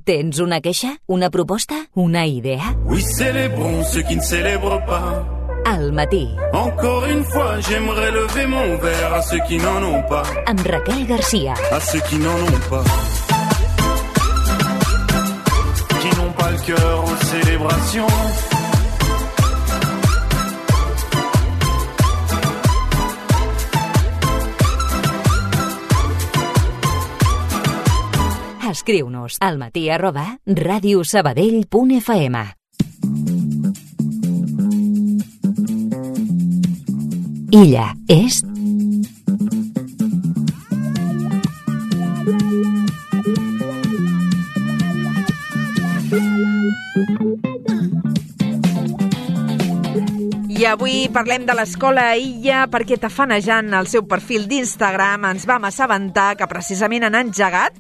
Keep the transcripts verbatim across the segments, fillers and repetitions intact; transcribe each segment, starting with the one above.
Tens una queixa? Una proposta? Una idea? Oui, célébrons ceux qui ne célèbrent pas. Al matí. Encore une fois, j'aimerais lever mon verre à ceux qui n'en ont pas. Amb Raquel Garcia. À ceux qui n'en ont pas. Qui n'ont pas le cœur aux célébrations. Escriu-nos al matí arroba radiosabadell punt f m. Illa és... I avui parlem de l'escola Illa perquè tafanejant el seu perfil d'Instagram ens vam assabentar que precisament han engegat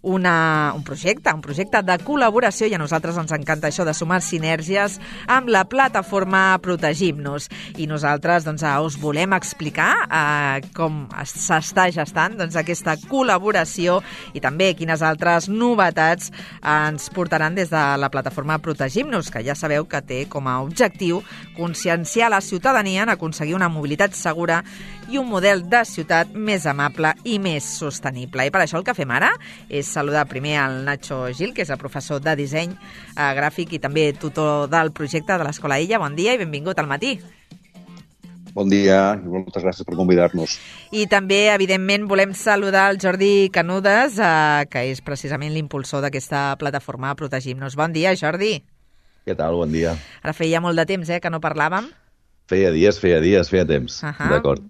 una, un projecte, un projecte de col·laboració, i a nosaltres ens encanta això de sumar sinergies amb la plataforma Protegim-nos. I nosaltres doncs, us volem explicar eh, com s'està gestant doncs, aquesta col·laboració i també quines altres novetats ens portaran des de la plataforma Protegim-nos, que ja sabeu que té com a objectiu conscienciar la ciutadania en aconseguir una mobilitat segura i un model de ciutat més amable i més sostenible. I per això el que fem ara és saludar primer al Nacho Gil, que és el professor de disseny eh, gràfic i també tutor del projecte de l'Escola Illa. Bon dia i benvingut al matí. Bon dia i moltes gràcies per convidar-nos. I també, evidentment, volem saludar el Jordi Canudes, eh, que és precisament l'impulsor d'aquesta plataforma Protegim-nos. Bon dia, Jordi. Què tal? Bon dia. Ara feia molt de temps eh, que no parlàvem. Feia dies, feia dies, feia temps. Uh -huh. D'acord.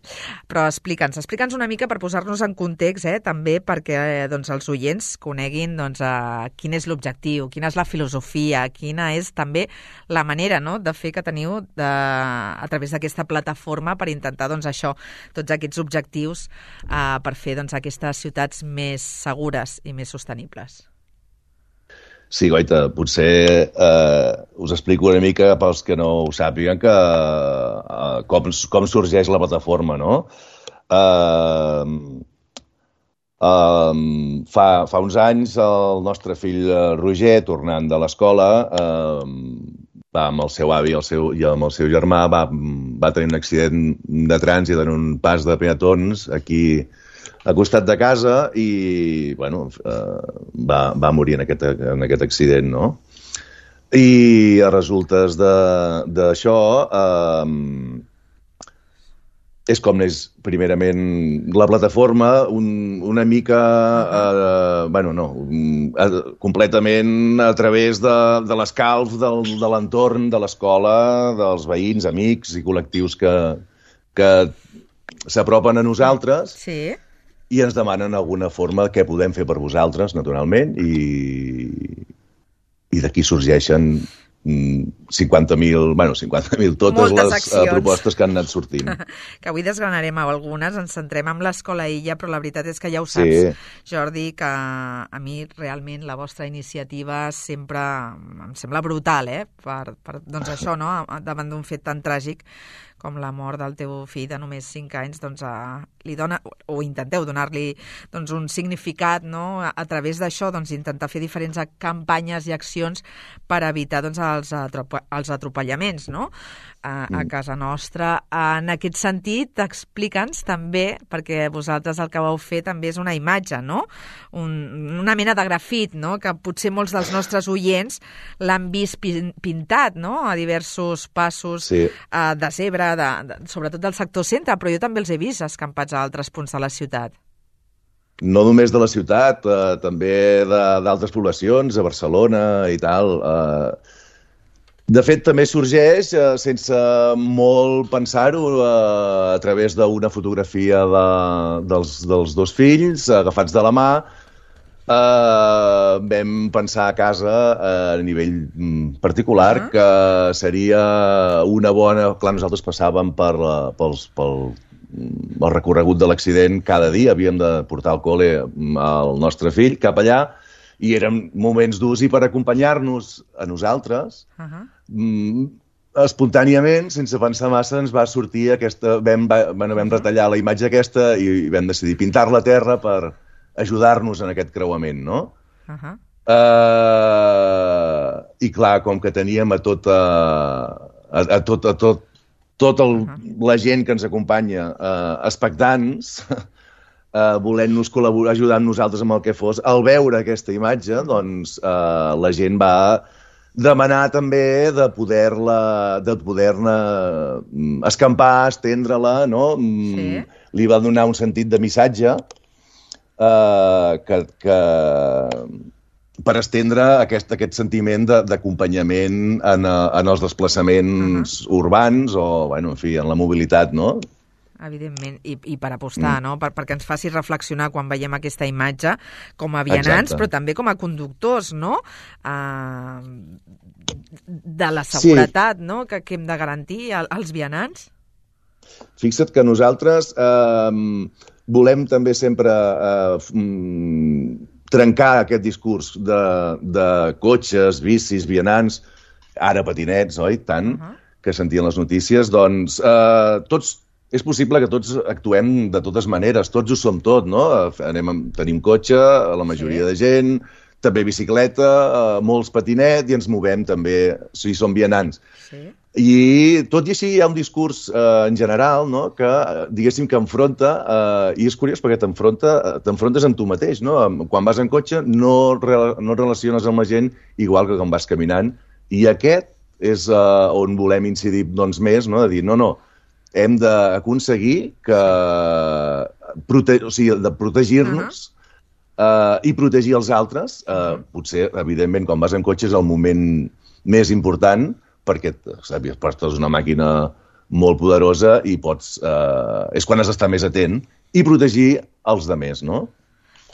Però explica'ns, explica'ns una mica per posar-nos en context, eh, també perquè eh, doncs, els oients coneguin doncs, eh, quin és l'objectiu, quina és la filosofia, quina és també la manera no, de fer que teniu de, a través d'aquesta plataforma per intentar doncs, això, tots aquests objectius eh, per fer doncs, aquestes ciutats més segures i més sostenibles. Sí, Goita, potser eh, us explico una mica pels que no ho sàpiguen que, eh, com, com sorgeix la plataforma, no? Eh, eh, fa, fa uns anys el nostre fill Roger, tornant de l'escola, eh, va amb el seu avi el seu, i amb el seu germà, va, va tenir un accident de trànsit en un pas de peatons aquí a costat de casa i, bueno, eh, va, va morir en aquest, en aquest accident, no? I a resultes d'això eh, és com és primerament la plataforma un, una mica, eh, bueno, no, eh, completament a través de, de l'escalf del, de l'entorn, de l'escola, dels veïns, amics i col·lectius que, que s'apropen a nosaltres. Sí. I ens demanen alguna forma què podem fer per vosaltres, naturalment, i, i d'aquí sorgeixen cinquanta mil, bueno, cinquanta mil totes moltes les accions. propostes que han anat sortint. Que avui desgranarem algunes, ens centrem en l'Escola Illa, però la veritat és que ja ho saps, Sí. Jordi, que a mi realment la vostra iniciativa sempre em sembla brutal, eh? Per, per doncs això, no? Davant d'un fet tan tràgic com la mort del teu fill de només cinc anys, doncs a, li dona, o intenteu donar-li doncs, un significat, no? A, a través d'això, doncs, intentar fer diferents campanyes i accions per evitar doncs, els, atrope, els atropellaments, no? A, a casa nostra. En aquest sentit, explica'ns també, perquè vosaltres el que vau fer també és una imatge, no? Un, una mena de grafit, no? Que potser molts dels nostres oients l'han vist pin, pintat, no? A diversos passos Sí. eh, de zebra, de, de, sobretot del sector centre, però jo també els he vist escampats a altres punts de la ciutat. No només de la ciutat, eh, també d'altres poblacions, a Barcelona i tal. Eh, de fet, també sorgeix, eh, sense molt pensar-ho, eh, a través d'una fotografia de, dels, dels dos fills, agafats de la mà. Uh, vam pensar a casa uh, a nivell mm, particular uh-huh. que seria una bona... Clar, nosaltres passàvem per, uh, pels, pel el recorregut de l'accident cada dia, havíem de portar al col·le el nostre fill cap allà i eren moments durs i per acompanyar-nos a nosaltres uh-huh. mm, espontàniament, sense pensar massa, ens va sortir aquesta... Vam, va, bueno, vam retallar la imatge aquesta i vam decidir pintar la terra per ajudar-nos en aquest creuament, no? Uh-huh. Uh, i clar, com que teníem a tota, a, a tot, a tot, tota el, la gent que ens acompanya eh, expectants, eh, volent-nos col·laborar, ajudant nosaltres amb el que fos, al veure aquesta imatge, doncs eh, la gent va demanar també de poder-la, de poder-ne escampar, estendre-la, no? Sí. Li va donar un sentit de missatge eh, que, que per estendre aquest, aquest sentiment d'acompanyament en, en els desplaçaments uh-huh. urbans o, bueno, en fi, en la mobilitat, no? Evidentment, i, i per apostar, mm. no? Per, perquè ens faci reflexionar quan veiem aquesta imatge com a vianants, Exacte. Però també com a conductors, no? Uh, de la seguretat, sí. no? Que, que hem de garantir als vianants. Fixa't que nosaltres eh, volem també sempre eh, trencar aquest discurs de, de cotxes, bicis, vianants, ara patinets, oi? Tant, uh-huh. que sentien les notícies. Doncs eh, tots és possible que tots actuem de totes maneres, tots ho som tot, no? Anem, tenim cotxe, la majoria sí. de gent, també bicicleta, molts patinet i ens movem també, si som vianants. Sí. I tot i així hi ha un discurs eh, en general, no? Que diguéssim que enfronta, eh, i és curiós perquè t'enfronta, t'enfrontes amb tu mateix, no? Quan vas en cotxe no, no relaciones amb la gent igual que quan vas caminant, i aquest és eh, on volem incidir doncs, més, no? De dir, no, no, hem d'aconseguir que prote... o sigui, de protegir-nos uh-huh. uh, i protegir els altres. Uh, uh-huh. Potser, evidentment, quan vas en cotxe és el moment més important perquè saps, portes una màquina molt poderosa i pots... Uh, és quan has d'estar més atent i protegir els demés, no?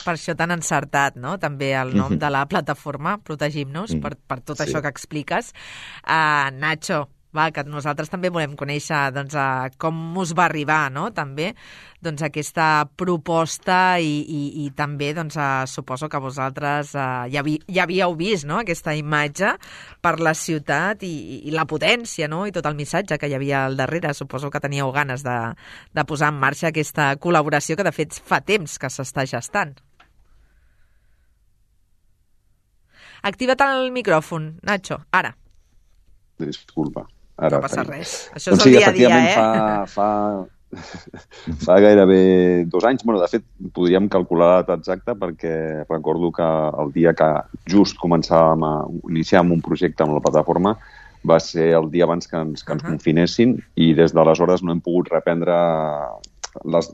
Per això tan encertat, no? També el nom uh-huh. de la plataforma, Protegim-nos, uh-huh. per, per tot sí. això que expliques. Uh, Nacho, va, que nosaltres també volem conèixer doncs, uh, com us va arribar, no? També doncs, aquesta proposta i, i, i també doncs, uh, suposo que vosaltres uh, ja, vi, ja havíeu vist, no? Aquesta imatge per la ciutat i, i la potència, no? I tot el missatge que hi havia al darrere. Suposo que teníeu ganes de, de posar en marxa aquesta col·laboració que de fet fa temps que s'està gestant. Activa't el micròfon, Nacho, ara. Disculpa. Ara, no passa res. Això és doncs el sí, dia a dia, eh? Fa, fa, fa gairebé dos anys. Bueno, de fet, podríem calcular la data exacta perquè recordo que el dia que just començàvem a iniciar un projecte amb la plataforma va ser el dia abans que ens, que ens uh-huh. confinessin i des d'aleshores no hem pogut reprendre les,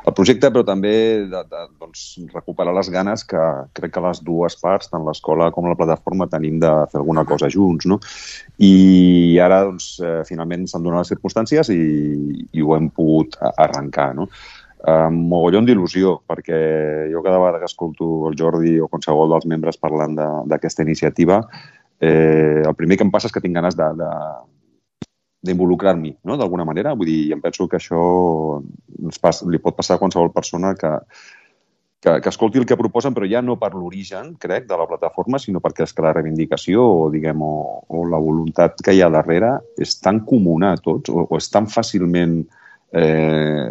el projecte, però també de, de, doncs, recuperar les ganes que crec que les dues parts, tant l'escola com la plataforma, tenim de fer alguna cosa junts, no? I ara, doncs, eh, finalment s'han donat les circumstàncies i, i ho hem pogut arrencar, no? Amb mogollon d'il·lusió, perquè jo cada vegada que escolto el Jordi o qualsevol dels membres parlant d'aquesta iniciativa, eh, el primer que em passa és que tinc ganes de, de d'involucrar-m'hi, no? D'alguna manera. Vull dir, em penso que això ens pas, li pot passar a qualsevol persona que, que, que escolti el que proposen, però ja no per l'origen, crec, de la plataforma, sinó perquè és que la reivindicació o, diguem, o, o la voluntat que hi ha darrere és tan comuna a tots, o, o és tan fàcilment Eh,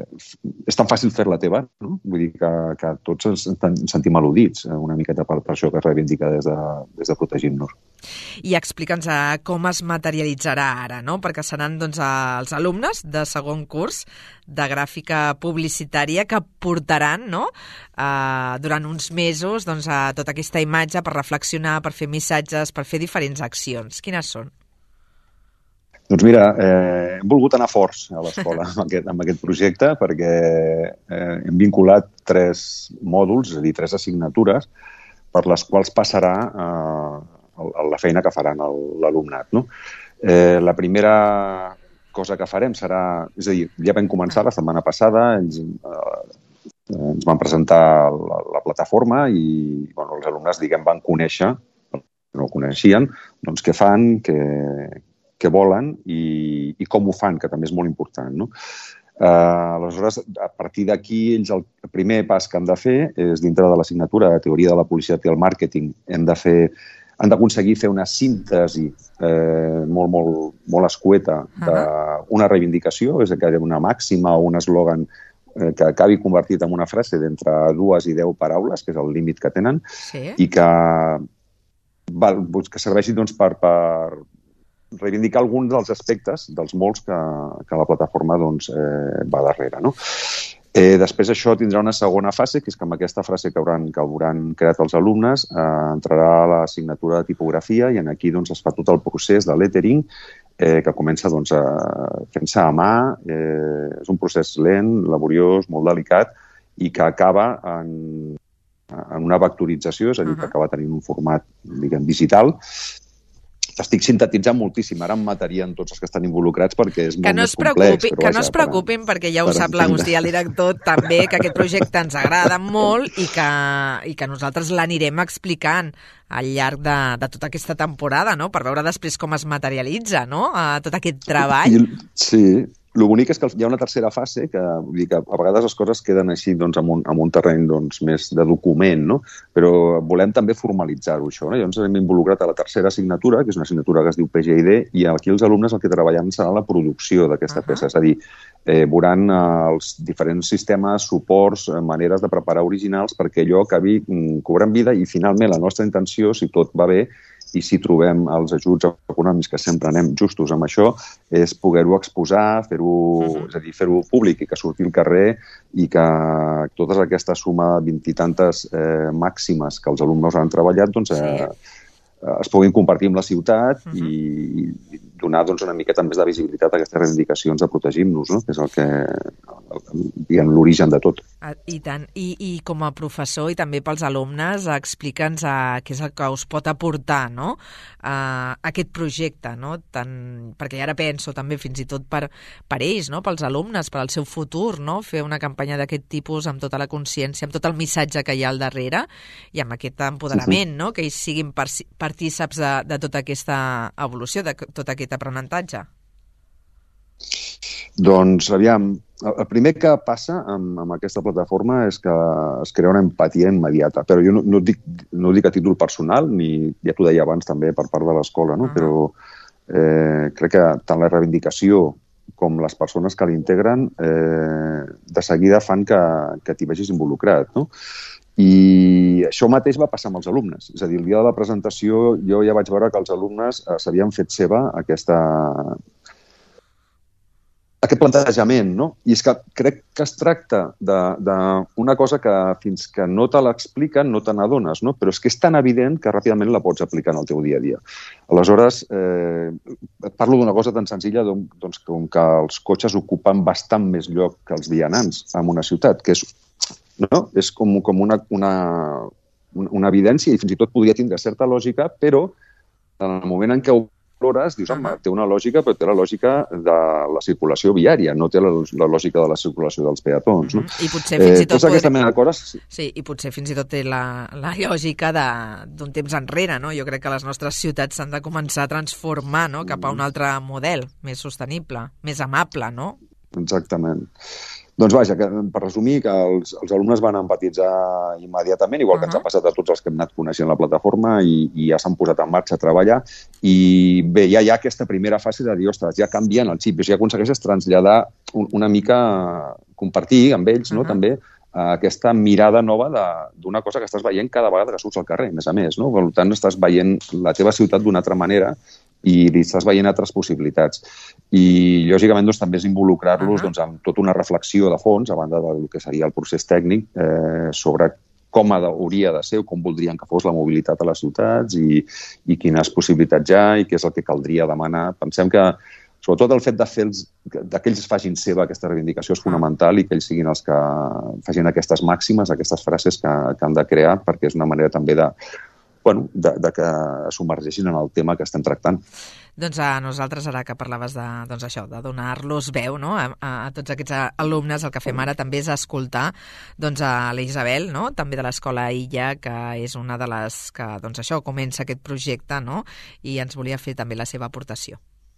és tan fàcil fer-la teva, no? Vull dir que, que tots ens, ens sentim al·ludits una miqueta per, per això que es reivindica des de, des de Protegim-nos. I explica'ns com es materialitzarà ara, no? Perquè seran doncs, els alumnes de segon curs de gràfica publicitària que portaran, no? eh, durant uns mesos doncs, a tota aquesta imatge per reflexionar, per fer missatges, per fer diferents accions. Quines són? Doncs mira, eh, hem volgut anar forts a l'escola amb, aquest, amb aquest projecte perquè eh, hem vinculat tres mòduls, és a dir, tres assignatures per les quals passarà eh, la feina que faran l'alumnat, no? Eh, la primera cosa que farem serà... És a dir, ja vam començar la setmana passada, ells, eh, ens van presentar la, la plataforma i bueno, els alumnes, diguem, van conèixer, no ho coneixien, doncs què fan, què... què volen i, i com ho fan, que també és molt important, no? Uh, aleshores, a partir d'aquí, ells el primer pas que han de fer és, dintre de l'assignatura de Teoria de la Publicitat i el Màrqueting, hem de fer, han d'aconseguir fer una síntesi eh, molt, molt, molt escueta d'una reivindicació, és a dir, una màxima o un eslògan eh, que acabi convertit en una frase d'entre dues i deu paraules, que és el límit que tenen, sí. i que que serveixi doncs, per, per reivindicar alguns dels aspectes dels molts que, que la plataforma doncs, eh, va darrere. No? Eh, després això tindrà una segona fase, que és que amb aquesta frase que hauran, que hauran creat els alumnes eh, entrarà l'assignatura de tipografia i en aquí doncs, es fa tot el procés de lettering eh, que comença doncs, a, fent-se a mà. Eh, és un procés lent, laboriós, molt delicat i que acaba en, en una vectorització, és a dir, uh-huh. que acaba tenint un format diguem, digital. Estic sintetitzant moltíssim, ara em matarien tots els que estan involucrats perquè és molt no més complex. Però que vaja, no es preocupin, per, perquè ja ho sap l'Agustí, el director, també, que aquest projecte ens agrada molt i que, i que nosaltres l'anirem explicant al llarg de, de tota aquesta temporada, no? Per veure després com es materialitza, no? Uh, tot aquest treball. I, sí, el bonic és que hi ha una tercera fase que, vull dir que a vegades les coses queden així doncs, en, un, en un terreny doncs, més de document, no? Però volem també formalitzar-ho, això. No? Llavors hem involucrat a la tercera assignatura, que és una assignatura que es diu P G I D, i aquí els alumnes el que treballen serà la producció d'aquesta uh-huh. peça, és a dir, eh, veuran eh, els diferents sistemes, suports, eh, maneres de preparar originals perquè allò acabi mm, cobrant vida i finalment la nostra intenció, si tot va bé, i si trobem els ajuts econòmics, que sempre anem justos amb això, és poder-ho exposar, fer-ho, uh-huh. és a dir, fer-ho públic i que surti al carrer i que tota aquesta suma de vint i tantes eh, màximes que els alumnes han treballat doncs, eh, sí. es puguin compartir amb la ciutat uh-huh. i, i donar doncs, una miqueta més de visibilitat a aquestes reivindicacions de protegir-nos, no? Que és el que, diguem, l'origen de tot. I tant. I, I com a professor i també pels alumnes, explica'ns uh, què és el que us pot aportar, no? Uh, aquest projecte, no? Tant, perquè ara penso també fins i tot per, per ells, no? Pels alumnes, per al seu futur, no? Fer una campanya d'aquest tipus amb tota la consciència, amb tot el missatge que hi ha al darrere i amb aquest empoderament, sí, sí. No? Que ells siguin partíceps de, de tota aquesta evolució, de tot aquest aprenentatge. Doncs, aviam, el primer que passa amb, amb aquesta plataforma és que es crea una empatia immediata, però jo no, no, dic, no dic a títol personal, ni ja t'ho deia abans també per part de l'escola, no? Uh-huh. Però eh, crec que tant la reivindicació com les persones que l'integren eh, de seguida fan que, que t'hi vegis involucrat, no? I això mateix va passar amb els alumnes. És a dir, el dia de la presentació jo ja vaig veure que els alumnes eh, s'havien fet seva aquesta... aquest plantejament, no? I és que crec que es tracta d'una cosa que fins que no te l'expliquen no te n'adones, no? Però és que és tan evident que ràpidament la pots aplicar en el teu dia a dia. Aleshores, eh, et parlo d'una cosa tan senzilla doncs, com que els cotxes ocupen bastant més lloc que els vianants en una ciutat, que és, no? És com, com una, una, una evidència i fins i tot podria tindre certa lògica, però en el moment en què ho plores, dius, home, té una lògica, però té la lògica de la circulació viària, no té la, la lògica de la circulació dels peatons. No? I potser fins i tot... Eh, aquesta mena de coses... Sí. sí, i potser fins i tot té la, la lògica d'un temps enrere, no? Jo crec que les nostres ciutats s'han de començar a transformar, no? Cap a un altre model més sostenible, més amable, no? Exactament. Doncs vaja, que, per resumir, que els, els alumnes van empatitzar immediatament, igual que uh-huh. ens ha passat a tots els que hem anat coneixent la plataforma i, i ja s'han posat en marxa a treballar. I bé, ja hi ha aquesta primera fase de dir, ostres, ja canvien el xip, ja aconsegueixes traslladar un, una mica, compartir amb ells, uh-huh. no?, també, aquesta mirada nova d'una cosa que estàs veient cada vegada que surts al carrer, a més a més, no? Per tant, estàs veient la teva ciutat d'una altra manera i li estàs veient altres possibilitats. I, lògicament, doncs, també és involucrar-los uh-huh. doncs, amb tota una reflexió de fons, a banda del que seria el procés tècnic, eh, sobre com hauria de ser o com voldrien que fos la mobilitat a les ciutats i, i quines possibilitats hi ha i què és el que caldria demanar. Pensem que, sobretot, el fet de fer els, de que ells facin seva aquesta reivindicació és fonamental i que ells siguin els que facin aquestes màximes, aquestes frases que, que han de crear, perquè és una manera també de Bueno, de, de que submergeixin en el tema que estem tractant. Doncs a nosaltres, ara que parlaves de, doncs això, de donar-los veu, no? a, a, a tots aquests alumnes, el que fem ara també és escoltar doncs, a la Isabel, no? També de l'Escola Illa, que és una de les que doncs, això comença aquest projecte, no? I ens volia fer també la seva aportació.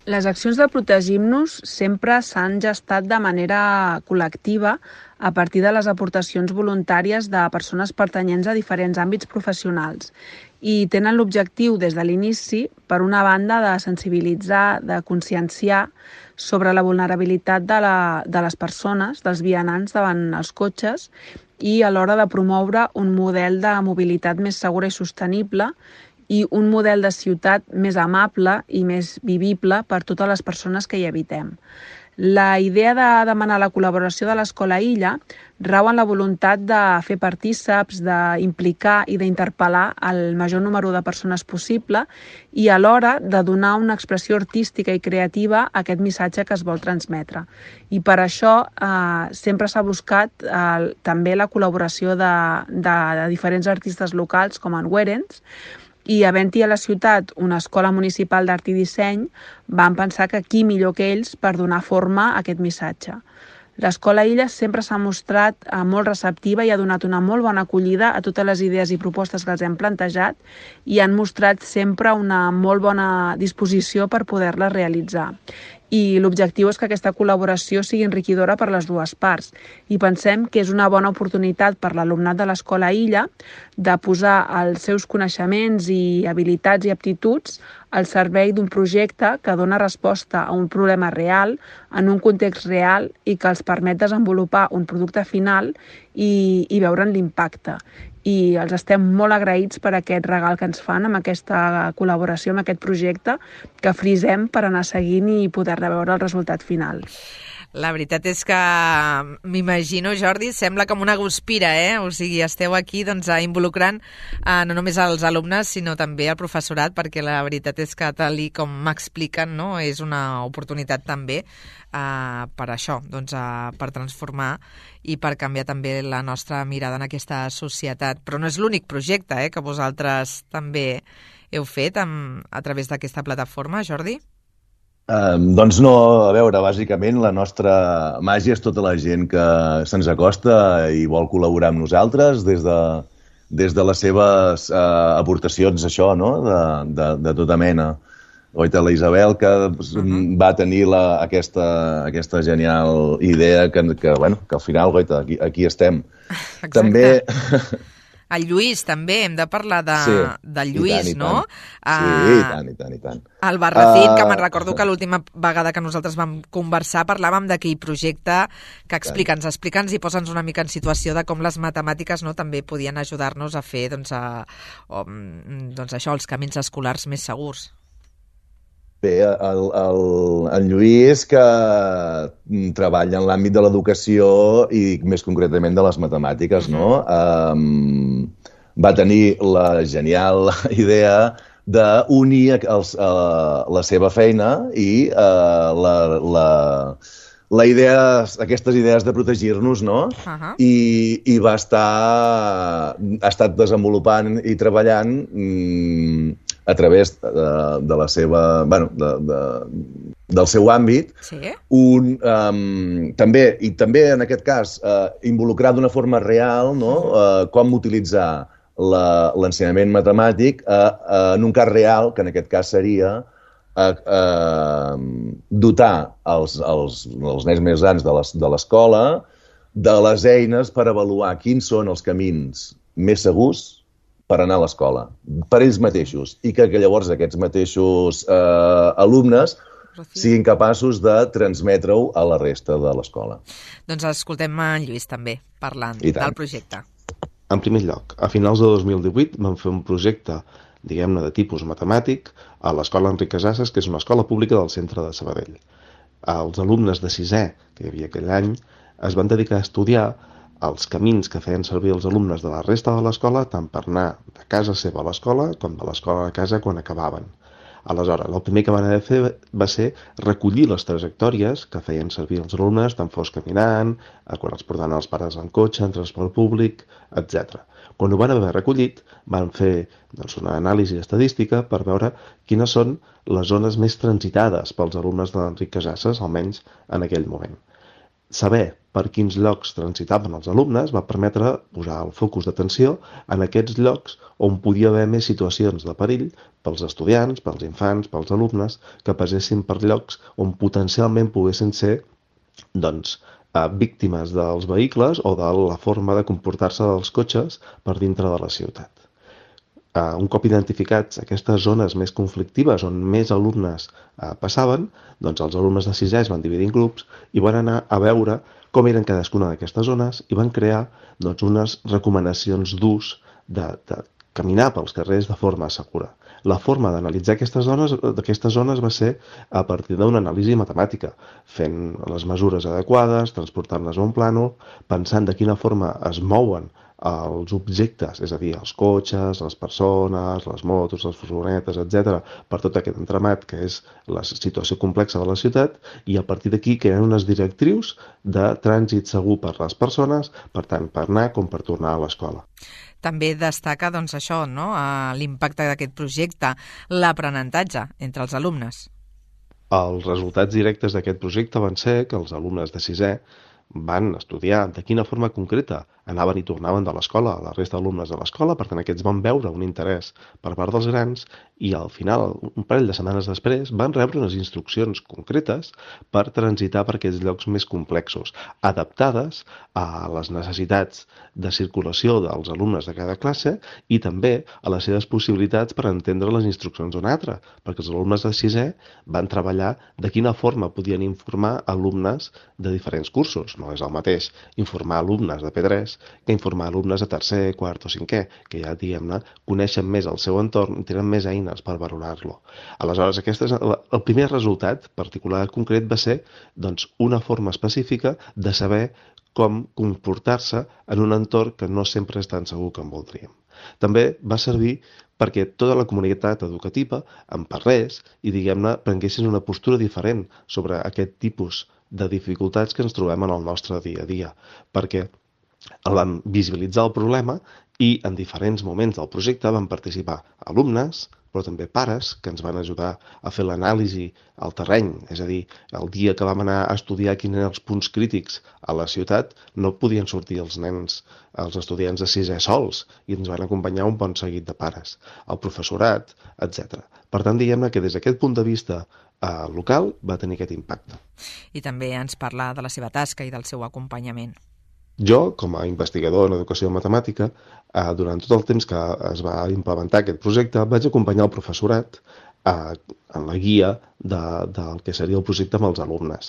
Les accions de protegir-nos sempre s'han gestat de manera col·lectiva a partir de les aportacions voluntàries de persones pertanyents a diferents àmbits professionals i tenen l'objectiu des de l'inici, per una banda, de sensibilitzar, de conscienciar sobre la vulnerabilitat de, la, de les persones, dels vianants davant els cotxes i a l'hora de promoure un model de mobilitat més segura i sostenible i un model de ciutat més amable i més vivible per totes les persones que hi habitem. La idea de demanar la col·laboració de l'Escola Illa rau en la voluntat de fer partíceps, d'implicar i d'interpel·lar el major número de persones possible i alhora de donar una expressió artística i creativa a aquest missatge que es vol transmetre. I per això eh, sempre s'ha buscat eh, també la col·laboració de, de, de diferents artistes locals com en Werens, i havent-hi a la ciutat una escola municipal d'art i disseny, van pensar que qui millor que ells per donar forma a aquest missatge. L'Escola Illa sempre s'ha mostrat eh, molt receptiva i ha donat una molt bona acollida a totes les idees i propostes que els hem plantejat i han mostrat sempre una molt bona disposició per poder-les realitzar. I l'objectiu és que aquesta col·laboració sigui enriquidora per les dues parts i pensem que és una bona oportunitat per l'alumnat de l'Escola Illa de posar els seus coneixements i habilitats i aptituds al servei d'un projecte que dona resposta a un problema real, en un context real i que els permet desenvolupar un producte final i, i veure'n l'impacte. I els estem molt agraïts per aquest regal que ens fan amb aquesta col·laboració, amb aquest projecte, que frisem per anar seguint i poder veure el resultat final. La veritat és que m'imagino, Jordi, sembla com una guspira, eh? O sigui, esteu aquí doncs, involucrant eh, no només els alumnes, sinó també el professorat, perquè la veritat és que, tal com m'expliquen, no? És una oportunitat també eh, per això, doncs, eh, per transformar i per canviar també la nostra mirada en aquesta societat. Però no és l'únic projecte eh, que vosaltres també heu fet amb, a través d'aquesta plataforma, Jordi? Um, doncs no, a veure, bàsicament la nostra màgia és tota la gent que se'ns acosta i vol col·laborar amb nosaltres des de, des de les seves uh, aportacions, això, no?, de, de, de tota mena. Oita, la Isabel, que uh-huh. va tenir la, aquesta, aquesta genial idea que, que, bueno, que al final, oita, aquí, aquí estem. Exacte. També... El Lluís, també, hem de parlar de, sí, del Lluís, i tant, i no? Tant. Sí, i tant, i tant, i tant. El Barracín, uh, que me'n recordo uh, que l'última vegada que nosaltres vam conversar parlàvem d'aquell projecte que explica'ns, explica'ns i posa'ns una mica en situació de com les matemàtiques no, també podien ajudar-nos a fer doncs, a, o, doncs això, els camins escolars més segurs. Bé, el, el, el Lluís, que treballa en l'àmbit de l'educació i més concretament de les matemàtiques, no? Um, va tenir la genial idea d'unir els, uh, la seva feina i uh, la, la, la idea, aquestes idees de protegir-nos, no? Uh-huh. I, i va estar, ha estat desenvolupant i treballant mm, a través de, de la seva, bueno, de, de, del seu àmbit, sí. un, um, també, i també en aquest cas, uh, involucrar d'una forma real, no? uh, com utilitzar l'ensenyament matemàtic uh, uh, en un cas real, que en aquest cas seria uh, uh, dotar els, els, els nens més grans de l'escola de les eines per avaluar quins són els camins més segurs per anar a l'escola, per ells mateixos, i que, que llavors aquests mateixos eh, alumnes siguin capaços de transmetre-ho a la resta de l'escola. Doncs escoltem en Lluís també, parlant del projecte. En primer lloc, a finals de dos mil divuit vam fer un projecte, diguem-ne, de tipus matemàtic a l'Escola Enric Casasses, que és una escola pública del centre de Sabadell. Els alumnes de sisè, que hi havia aquell any, es van dedicar a estudiar els camins que feien servir els alumnes de la resta de l'escola, tant per anar de casa seva a l'escola com de l'escola a casa quan acabaven. Aleshores, el primer que van haver de fer va ser recollir les trajectòries que feien servir els alumnes, tant fos caminant, quan els portaven els pares en cotxe, en transport públic, etcètera. Quan ho van haver recollit, van fer doncs, una anàlisi estadística per veure quines són les zones més transitades pels alumnes de l'Enric Casasses, almenys en aquell moment. Saber per quins llocs transitaven els alumnes va permetre posar el focus d'atenció en aquests llocs on podia haver més situacions de perill pels estudiants, pels infants, pels alumnes, que passessin per llocs on potencialment poguessin ser doncs, víctimes dels vehicles o de la forma de comportar-se dels cotxes per dintre de la ciutat. Uh, un cop identificats aquestes zones més conflictives on més alumnes uh, passaven, doncs els alumnes de sisè es van dividir en grups i van anar a veure com eren cadascuna d'aquestes zones i van crear doncs, unes recomanacions d'ús de, de, caminar pels carrers de forma segura. La forma d'analitzar aquestes zones, aquestes zones va ser a partir d'una anàlisi matemàtica, fent les mesures adequades, transportant-les a un plànol, pensant de quina forma es mouen els objectes, és a dir, els cotxes, les persones, les motos, les furgonetes, etcètera, per tot aquest entramat que és la situació complexa de la ciutat, i a partir d'aquí creen unes directrius de trànsit segur per les persones, per tant, per anar com per tornar a l'escola. També destaca doncs, això, no? L'impacte d'aquest projecte, l'aprenentatge entre els alumnes. Els resultats directes d'aquest projecte van ser que els alumnes de sisè van estudiar de quina forma concreta anaven i tornaven de l'escola, la resta d'alumnes de l'escola, per tant aquests van veure un interès per part dels grans i al final, un parell de setmanes després, van rebre unes instruccions concretes per transitar per aquests llocs més complexos, adaptades a les necessitats de circulació dels alumnes de cada classe i també a les seves possibilitats per entendre les instruccions d'una altra, perquè els alumnes de sisè van treballar de quina forma podien informar alumnes de diferents cursos. No és el mateix informar alumnes de P tres que informar alumnes de tercer, quart o cinquè, que ja, diguem-ne, coneixen més el seu entorn i tenen més eines per valorar-lo. Aleshores, aquest és el, el primer resultat particular concret va ser doncs, una forma específica de saber com comportar-se en un entorn que no sempre és tan segur com voldríem. També va servir perquè tota la comunitat educativa en parlés i, diguem-ne, prenguessin una postura diferent sobre aquest tipus de dificultats que ens trobem en el nostre dia a dia, perquè vam visualitzar el problema i en diferents moments del projecte van participar alumnes, però també pares que ens van ajudar a fer l'anàlisi al terreny, és a dir, el dia que vam anar a estudiar quins eren els punts crítics a la ciutat no podien sortir els nens, els estudiants de sisè sols i ens van acompanyar un bon seguit de pares, el professorat, etcètera. Per tant, diguem-ne que des d'aquest punt de vista eh, local va tenir aquest impacte. I també ens parla de la seva tasca i del seu acompanyament. Jo, com a investigador en educació matemàtica, eh, durant tot el temps que es va implementar aquest projecte, vaig acompanyar el professorat eh, en la guia de, del que seria el projecte amb els alumnes.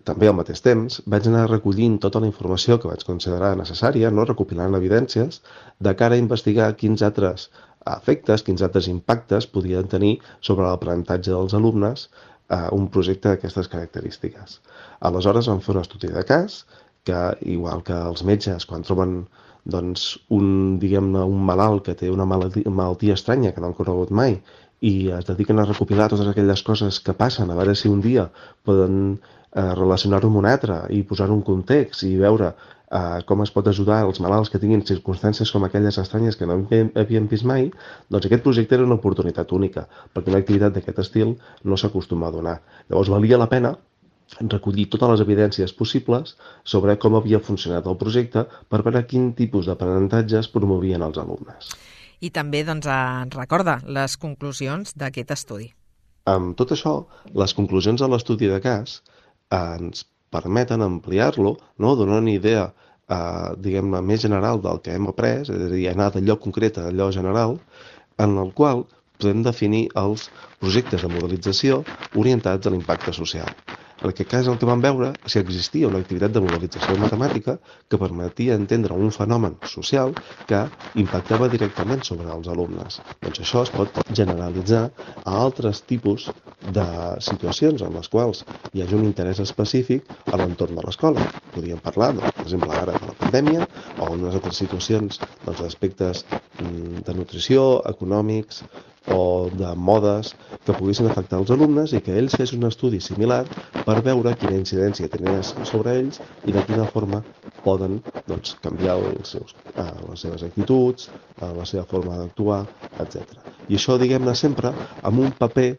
També al mateix temps vaig anar recollint tota la informació que vaig considerar necessària, no recopilant evidències, de cara a investigar quins altres efectes, quins altres impactes podien tenir sobre l'aprenentatge dels alumnes eh, un projecte d'aquestes característiques. Aleshores vam fer un estudi de cas que, igual que els metges, quan troben doncs, un, diguem-ne, un malalt que té una malaltia, malaltia estranya que no han conegut mai i es dediquen a recopilar totes aquelles coses que passen, a veure si un dia poden eh, relacionar-ho amb un altre i posar-ho en context i veure eh, com es pot ajudar els malalts que tinguin circumstàncies com aquelles estranyes que no havien vist mai, doncs aquest projecte era una oportunitat única, perquè una activitat d'aquest estil no s'acostuma a donar. Llavors valia la pena recollir totes les evidències possibles sobre com havia funcionat el projecte per veure quin tipus d'aprenentatge es promovien els alumnes. I també doncs, ens recorda les conclusions d'aquest estudi. Amb tot això, les conclusions de l'estudi de cas ens permeten ampliar-lo, no? Donar una idea eh, diguem-ne, més general del que hem après, és a dir, anar d'allò concret a allò general, en el qual podem definir els projectes de modelització orientats a l'impacte social. En aquest cas el que vam veure si existia una activitat de modelització matemàtica que permetia entendre un fenomen social que impactava directament sobre els alumnes. Doncs això es pot generalitzar a altres tipus de situacions en les quals hi hagi un interès específic a l'entorn de l'escola. Podríem parlar, doncs, per exemple, ara de la pandèmia o en unes altres situacions doncs, d'aspectes de nutrició, econòmics o de modes que poguessin afectar els alumnes i que ells fessin un estudi similar per veure quina incidència tenia sobre ells i de quina forma poden doncs, canviar els seus, eh, les seves actituds, eh, la seva forma d'actuar, etcètera. I això, diguem-ne, sempre amb un paper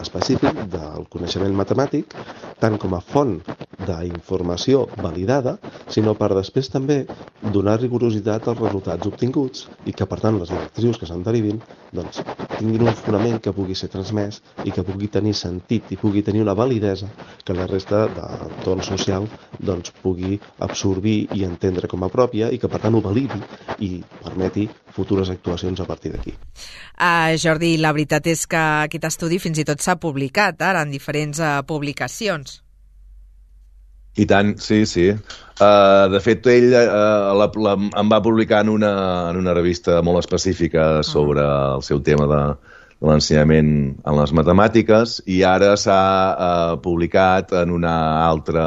específic del coneixement matemàtic, tant com a font d'informació validada, sinó per després també donar rigorositat als resultats obtinguts i que, per tant, les directrius que se'n derivin doncs, tinguin un fonament que pugui ser transmès i que pugui tenir sentit i pugui tenir una validesa que la resta de l'entorn social doncs, pugui absorbir i entendre com a pròpia i que, per tant, ho validi i permeti futures actuacions a partir d'aquí. Uh, Jordi, la veritat és que aquest estudi fins i tot s'ha publicat ara en diferents uh, publicacions. I tant, sí, sí. Uh, de fet, ell uh, la, la, em va publicar en una, en una revista molt específica sobre el seu tema de, de l'ensenyament en les matemàtiques i ara s'ha uh, publicat en una altra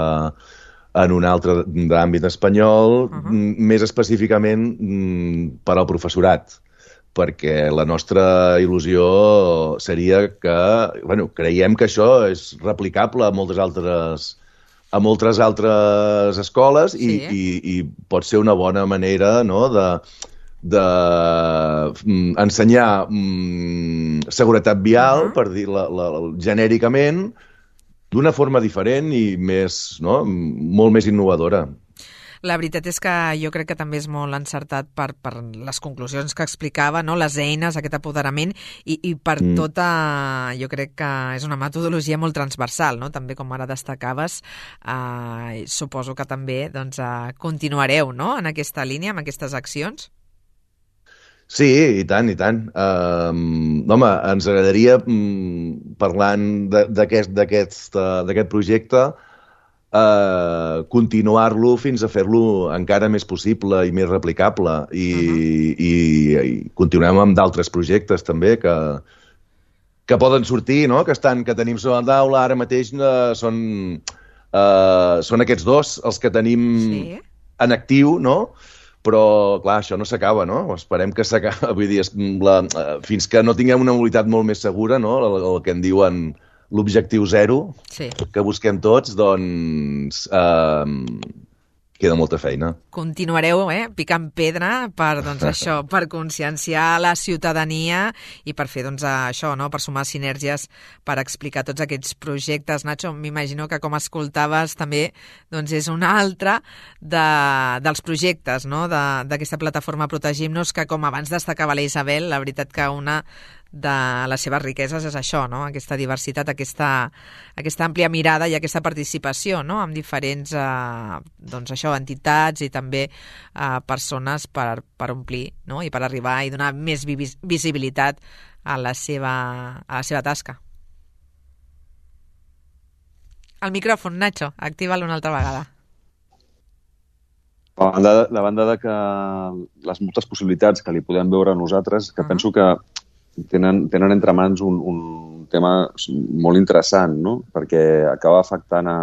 en un altre d'àmbit espanyol, uh-huh. més específicament per al professorat, perquè la nostra il·lusió seria que, bueno, creiem que això és replicable a moltes altres a moltes altres escoles i, sí. i, i pot ser una bona manera, no?, de, de mm, ensenyar mm, seguretat vial, uh-huh. per dir-la la, la, genèricament, d'una forma diferent i més, no?, molt més innovadora. La veritat és que jo crec que també és molt encertat per, per les conclusions que explicava, no? Les eines, aquest apoderament, i, i per mm. tota... Jo crec que és una metodologia molt transversal, no? També, com ara destacaves, eh, suposo que també doncs, eh, continuareu, no?, en aquesta línia, amb aquestes accions. Sí, i tant, i tant. Um, home, ens agradaria, um, parlant d'aquest d'aquest projecte, Uh, continuar-lo fins a fer-lo encara més possible i més replicable i, uh-huh. i, i continuem amb d'altres projectes també que, que poden sortir, no?, que, estan, que tenim sobre la taula ara mateix. Uh, són, uh, són aquests dos els que tenim sí. en actiu, no? Però, clar, això no s'acaba, no? Esperem que s'acaba, vull dir, la, uh, fins que no tinguem una mobilitat molt més segura, no?, el, el que en diuen l'objectiu zero, sí. que busquem tots, doncs eh, queda molta feina. Continuareu eh, picant pedra per, doncs, això, per conscienciar la ciutadania i per fer doncs, això, no? Per sumar sinergies, per explicar tots aquests projectes. Nacho, m'imagino que com escoltaves també doncs, és un altre de, dels projectes, no?, d'aquesta plataforma Protegim-nos, que com abans destacava la Isabel, la veritat que una de les seves riqueses és això, no?, aquesta diversitat, aquesta, aquesta àmplia mirada i aquesta participació, no?, amb diferents eh, doncs això, entitats i també eh, persones per, per omplir, no?, i per arribar i donar més vis visibilitat a la seva, a la seva tasca. El micròfon, Nacho, activa-lo una altra vegada. A banda, de, la banda de que les moltes possibilitats que li podem veure a nosaltres, que uh-huh. penso que tenen, tenen entre mans un, un tema molt interessant, no?, perquè acaba afectant a,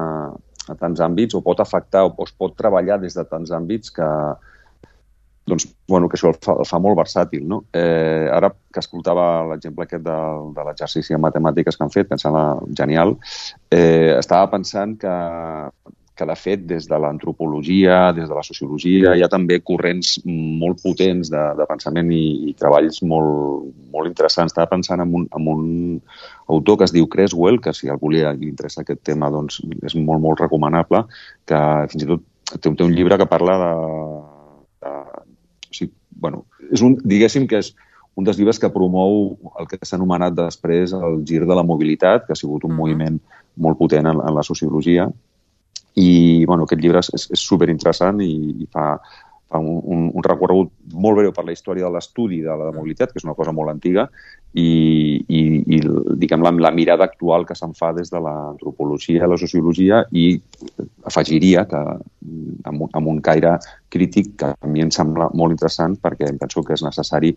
a tants àmbits, o pot afectar, o es pot treballar des de tants àmbits que, doncs, bueno, que això el fa, el fa molt versàtil, no? Eh, ara que escoltava l'exemple aquest de, de l'exercici de matemàtiques que han fet, que em sembla genial, eh, estava pensant que que de fet des de l'antropologia, des de la sociologia, hi ha també corrents molt potents de, de pensament i, i treballs molt, molt interessants. Estava pensant en un, en un autor que es diu Creswell, que si a algú li interessa aquest tema doncs és molt, molt recomanable, que fins i tot té, té un llibre que parla de... de o sigui, bueno, és un, diguéssim que és un dels llibres que promou el que s'ha anomenat després el gir de la mobilitat, que ha sigut un uh-huh. moviment molt potent en, en la sociologia. I bueno, aquest llibre és, és superinteressant i, i fa, fa un, un, un recorregut molt breu per la història de l'estudi de la mobilitat, que és una cosa molt antiga, i, i, i diguem, la, la mirada actual que se'n fa des de l'antropologia i la sociologia, i afegiria que amb un, amb un caire crític que a mi em sembla molt interessant, perquè em penso que és necessari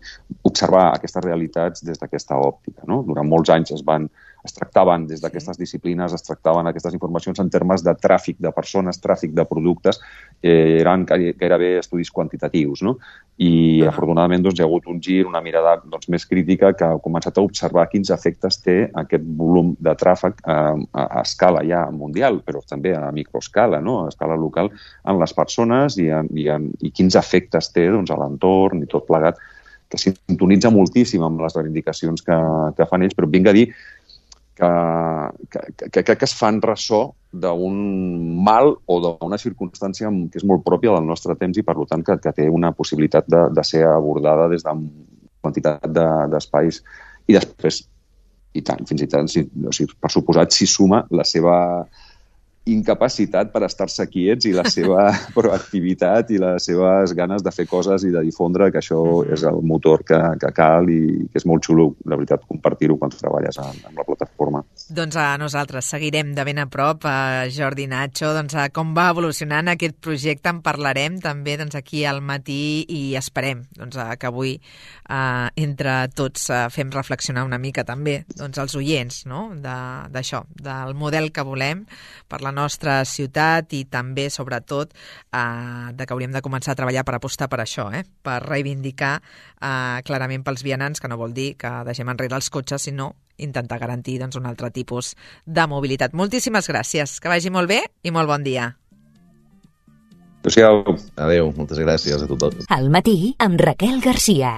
observar aquestes realitats des d'aquesta òptica, no? Durant molts anys es van es tractaven des d'aquestes disciplines, es tractaven aquestes informacions en termes de tràfic de persones, tràfic de productes, eh, eren gairebé estudis quantitatius, no? I uh-huh. afortunadament doncs, hi ha hagut un gir, una mirada doncs, més crítica que ha començat a observar quins efectes té aquest volum de tràfic eh, a, a escala ja mundial, però també a microescala, no? A escala local, en les persones i, en, i, en, i quins efectes té doncs, a l'entorn i tot plegat, que sintonitza moltíssim amb les reivindicacions que, que fan ells, però vinc a dir que, que, que, que es fan ressò d'un mal o d'una circumstància que és molt pròpia del nostre temps i, per tant, que, que té una possibilitat de, de ser abordada des de quantitat d'espais. De, I després, i tant, fins i tant, si, o sigui, per suposat, s'hi suma la seva incapacitat per estar-se quiets i la seva proactivitat i les seves ganes de fer coses i de difondre, que això és el motor que, que cal i que és molt xulo, la veritat, compartir-ho quan treballes amb, amb la plataforma. Doncs a nosaltres seguirem de ben a prop, a Jordi Nacho, doncs a com va evolucionant aquest projecte, en parlarem també doncs, aquí al matí i esperem doncs, que avui eh, entre tots eh, fem reflexionar una mica també doncs, els oients, no? d'això, de, del model que volem per la nostra ciutat i també, sobretot, eh, de que hauríem de començar a treballar per apostar per això, eh? per reivindicar eh, clarament pels vianants, que no vol dir que deixem enrere els cotxes, sinó intentar garantir doncs, un altre tipus de mobilitat. Moltíssimes gràcies, que vagi molt bé i molt bon dia. Adéu. Adéu, moltes gràcies a tothom. Al matí amb Raquel Garcia.